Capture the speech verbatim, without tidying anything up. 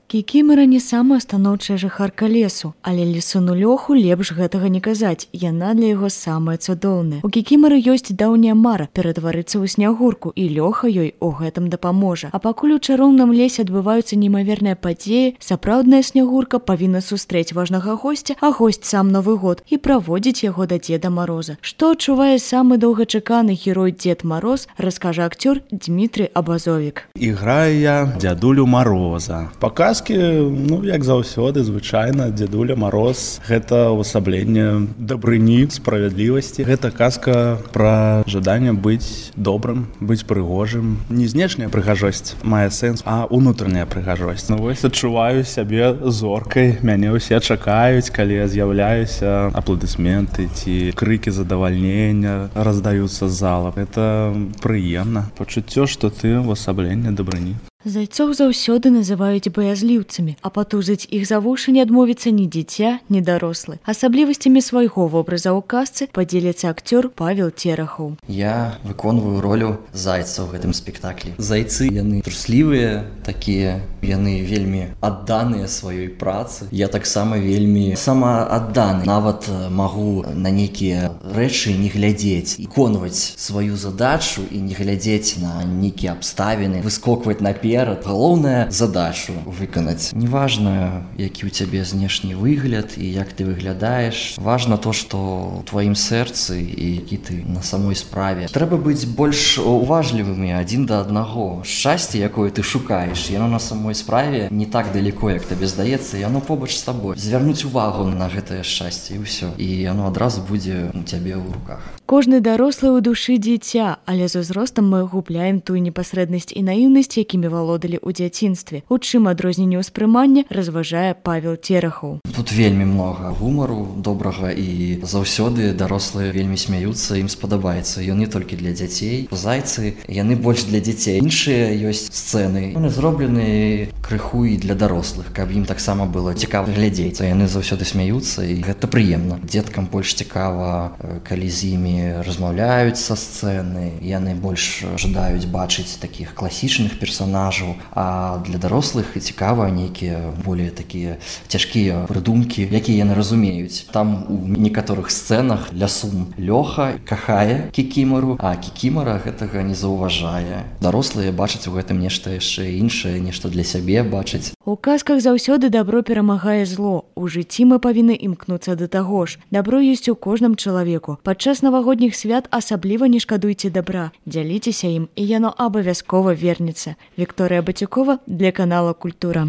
Кікімара не самая станоўчая жыхарка лесу, але лісуну Лёху лепш гэтага не казаць, яна для яго самая цудоўная. У Кікімары ёсць даўняя мара ператварыцца ў снягурку, і Лёха ёй у гэтым дапаможа. А пакуль у чароўным лесе адбываюцца немаверныя падзеі, сапраўдная снягурка павінна сустрэць важнага госця, а госць сам Новы год і праводзіць яго да Дзеда Мароза. Што адчувае самы доўгачаканы герой Дзед Мароз, раскажа акцёр Дмітрый Абазовік. Іграю я дзядулю Мароза. Паказкі, ну, як заўсёды, звычайна, дзядуля Мароз – гэта ўвасабленне дабрыні, справядлівасці. Гэта казка пра жаданне быць добрым, быць прыгожым. Не знешняя прыгажосць мае сэнс, а ўнутраная прыгажосць. Ну, вось адчуваю сябе зоркай, мяне ўсе чакаюць, калі я з'яўляюся, апладысменты ці крыкі задавальнення раздаюцца з зала. Гэта прыемна. Пачуццё, што ты ўвасабленне дабрыні. Зайцоў заўсёды называюць баязліўцамі, а патузаць іх за вушы не адмовіцца ні дзіця, ні дарослы. Асаблівасцямі свайго вобраза ў казцы падзеліцца акцёр Павел Терахаў. Я выконваю ролю зайца ў гэтым спектаклі. Зайцы, яны труслівыя такія, яны вельмі адданыя сваёй працы. Я таксама вельмі самаадданы. Нават магу на нейкія рэчы не глядзець, выконваць сваю задачу і не глядзець на нейкія абставіны, выскокваць наперад. Галоўная задачу выканаць. Неважна, які ў цябе знешні выгляд і як ты выглядаеш. Важна то, што ў тваім сэрцы і які ты на самой справе. Трэба быць больш уважлівымі адзін да аднаго. Шчасце, якое ты шукаеш, яно на самой справе не так далеко, як табе здаецца, яно побач з табой. Звярнуць увагу на гэтае шчасце і ўсё. І яно адразу будзе у цябе ў руках. Кожны дарослы ў душы дзіця, але з узростам мы губляем тую непасрэднасць і наіўнасць, якімі валодалі ў дзяцінстве. У чым адрозненне ўспрымання, разважае Павел Терахаў. Тут вельмі многа гумару добрага і заўсёды дарослыя вельмі смяюцца, ім спадабаецца. Ён не толькі для дзяцей. Зайцы, яны больш для дзяцей. Іншыя ёсць сцэны. Яны зроблены крыху і для дарослых, каб ім таксама было цікава глядзець. Яны заўсёды смяюцца і гэта прыемна. Дзеткам больш цікава, калі з імі размаўляюць са сцэны. Яны больш жадаюць бачыць такіх класічных персонажаў, а для дарослых цікава нейкія более такія цяжкія прыдумкі, якія яны разумеюць. Там у некаторых сцэнах лясун Лёха кахае Кікімару, а Кікімара гэтага не заўважае. Дарослыя бачаць у гэтым нешта яшчэ іншае, нешта для сябе бачаць. У казках заўсёды дабро перамагае зло. У жыцці мы павінны імкнуцца да таго ж. Дабро ёсць у кожным чалавеку. Падчас навагодніх свят асабліва не шкадуйце дабра. Дзяліцеся ім, і яно абавязкова вернецца. Вікторыя Батюкова для канала Культура.